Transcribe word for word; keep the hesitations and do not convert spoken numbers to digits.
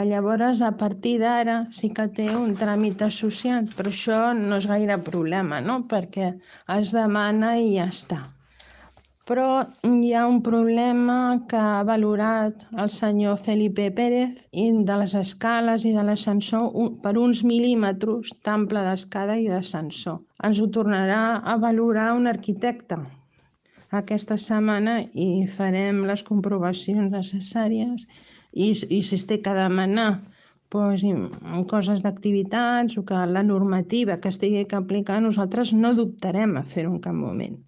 Llavors, a partir d'ara sí que té un tràmit associat, però això no és gaire problema, no? Perquè es demana i ja està. Però hi ha un problema que ha valorat el senyor Felipe Pérez de les escales i de l'ascensor per uns mil·límetres d'ample d'escala i d'ascensor. Ens ho tornarà a valorar un arquitecte aquesta setmana i farem les comprovacions necessàries i, i si es té que demanar doncs, coses d'activitats o que la normativa que es tingui que aplicar, nosaltres no dubtarem a fer-ho en cap moment.